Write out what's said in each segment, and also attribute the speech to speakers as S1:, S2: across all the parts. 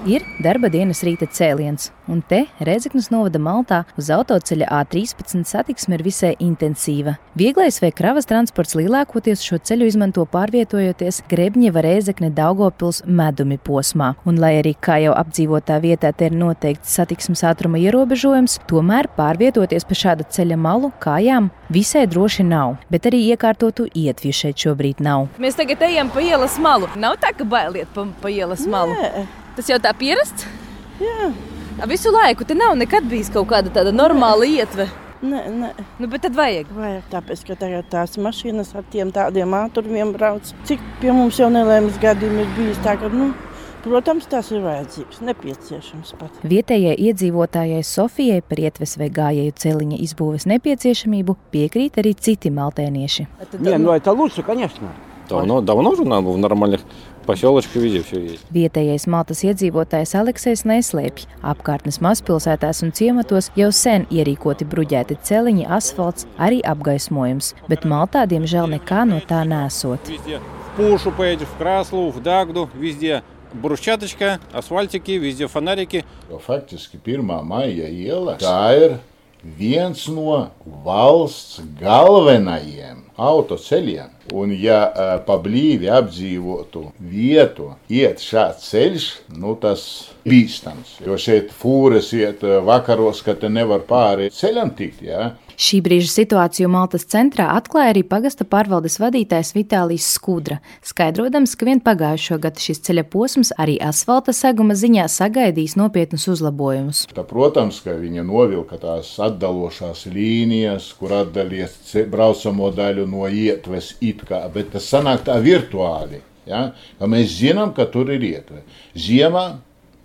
S1: Ir darba dienas rīta cēliens, un te Rēzeknes novada Maltā uz autoceļa A13 satiksme ir visai intensīva. Vieglais vai kravas transports lielākoties šo ceļu izmanto pārvietojoties Grebņeva Rēzekne Daugavpils medumi posmā. Un lai arī kā jau apdzīvotā vietā te ir noteikts satiksmes ātruma ierobežojums, tomēr pārvietoties pa šāda ceļa malu kājām visai droši nav, bet arī iekārtotu ietvju šeit šobrīd nav.
S2: Mēs tagad ejam pa ielas malu. Nav tā, ka bailiet pa ielas malu?
S3: Nē.
S2: Tas jau tā pierasts?
S3: Jā.
S2: Visu laiku te nav nekad bijis kaut kāda tāda normāla ietve?
S3: Nē.
S2: Nu, bet tad vajag.
S3: Vajag, tāpēc, ka tagad tās mašīnas ar tiem tādiem ātrumiem brauc. Cik pie mums jau nelēmas gadījumi ir bijis tā, ka, protams, tas ir vajadzīgs, nepieciešams pat.
S1: Vietējai iedzīvotājai Sofijai par ietves vai gājēju celiņa izbūves nepieciešamību piekrīt arī citi maltēnieši.
S4: Это лучше, конечно. Давно уже надо в нормальных поселочках везде все есть.
S1: Vietējais Maltas iedzīvotājs Aleksejs neslēpj. Apkārtnes mazpilsētās un ciematos jau sen ierīkoti bruģēti celiņi, asfalts, arī apgaismojums, bet Maltā, diemžēl, nekā no tā nesot.
S4: Везде в Пушу поедешь, в Краслу, в Дагду, везде брусчаточка, асфальтики, везде фонарики.
S5: Faktiski 1. maija iela, tā ir viens no valsts galvenajiem autoceļiem. Un ja pa blīvi apdzīvotu vietu iet šāds ceļš, tas bīstams. Jo šeit fūres iet vakaros, ka te nevar pāri ceļam tikt, jā.
S1: Šī brīža situāciju Maltas centrā atklāja arī pagasta pārvaldes vadītājs Vitālijs Skudra, skaidrodams, ka vien pagājušo gadu šis ceļa posms arī asfalta seguma ziņā sagaidīs nopietnus uzlabojumus.
S5: Protams, ka viņa novilka tās atdalošās līnijas, kur atdalies braucamo daļu no ietves bet tas sanāk tā virtuāli, ja? Ka mēs zinām, ka tur ir ietve. Ziemā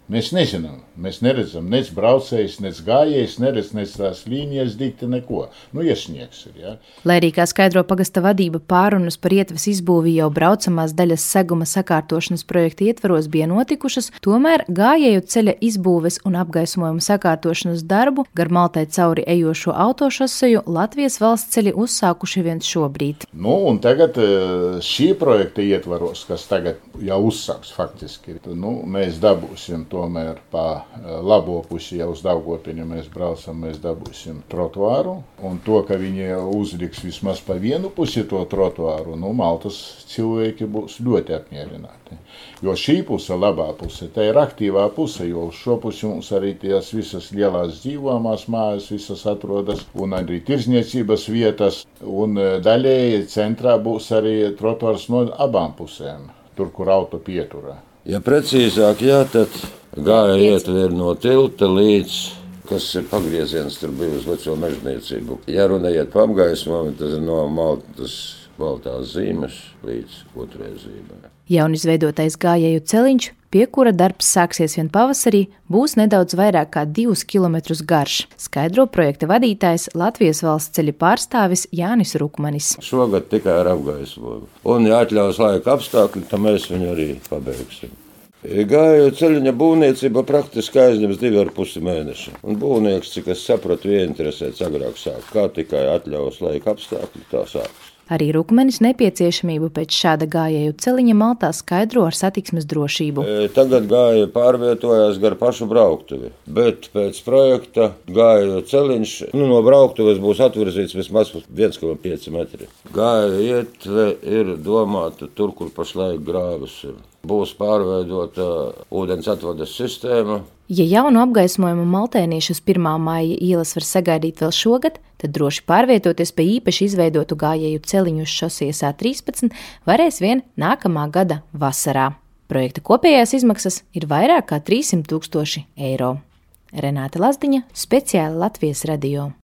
S5: mēs nezinām, mēs neredzam nec braucējs, nec gājējs, neredz nec tās līnijas dikti neko. Iesniegs ir, ja.
S1: Lai arī, kā skaidro pagasta vadība, pārunas par ietves izbūvi jau braucamās daļas seguma sakārtošanas projekta ietvaros bija notikušas, tomēr gājēju ceļa izbūves un apgaismojuma sakārtošanas darbu gar Maltai cauri ejošo autošoseju Latvijas valsts ceļi uzsākuši viens šobrīd.
S5: Un tagad šī projekta ietvaros, kas tagad jau uzsāks faktiski, mēs dabūsim tomēr pa labo pusi jau uz Daugavpiļu mēs braucam, mēs dabūsim trotuāru. Un to, ka viņi uzliks vismaz pa vienu pusi to trotuāru, Maltas cilvēki būs ļoti apmierināti. Jo šī puse, labā puse, tā ir aktīvā puse, jo uz šo pusi mums arī tās visas lielās dzīvojamās mājas visas atrodas, un arī tirzniecības vietas, un daļēji centrā būs arī trotuārs no abām pusēm, tur, kur auto pieturā.
S6: Ja precīzāk, tad gāja ietve ir no tilta līdz, kas ir pagrieziens, tur bija uz veco mežniecību. Ja runājot pa apgaismojumu, tas ir no Maltas baltās zīmes līdz otrai zīmē.
S1: Jaunizveidotais gājēju celiņš, pie kura darbs sāksies vien pavasarī, būs nedaudz vairāk kā 2 kilometrus garš, skaidro projekta vadītājs Latvijas valsts ceļu pārstāvis Jānis Rukmanis.
S6: Šogad tikai ar apgaismojumu. Un, ja atļaus laika apstākļi, tad mēs viņu arī pabeigsim. Gājēju ceļiņa būvniecība praktiski aizņems 2,5 mēneši. Un būvnieks, cik es sapratu, ieinteresēts agrāk sāk. Kā tikai atļaus laika apstākļi, tā sāks.
S1: Arī Rukmanis nepieciešamību pēc šāda gājēju celiņa Maltā skaidro ar satiksmes drošību.
S6: Tagad gājēji pārvietojās gar pašu brauktuvi, bet pēc projekta gājēju celiņš no brauktuves būs atvirzīts vismaz 1,5 metri. Gājēju ietve ir domāta tur, kur pašlaik grāvis ir. Būs pārveidota ūdens atvades sistēma.
S1: Ja jaunu apgaismojumu maltēniešus 1. maija ielas var sagaidīt vēl šogad, tad droši pārvietoties pa īpaši izveidotu gājēju celiņu uz šosejas A13 varēs vien nākamā gada vasarā. Projekta kopējās izmaksas ir vairāk kā 300 000 eiro. Renāte Lazdiņa, speciāli Latvijas radio.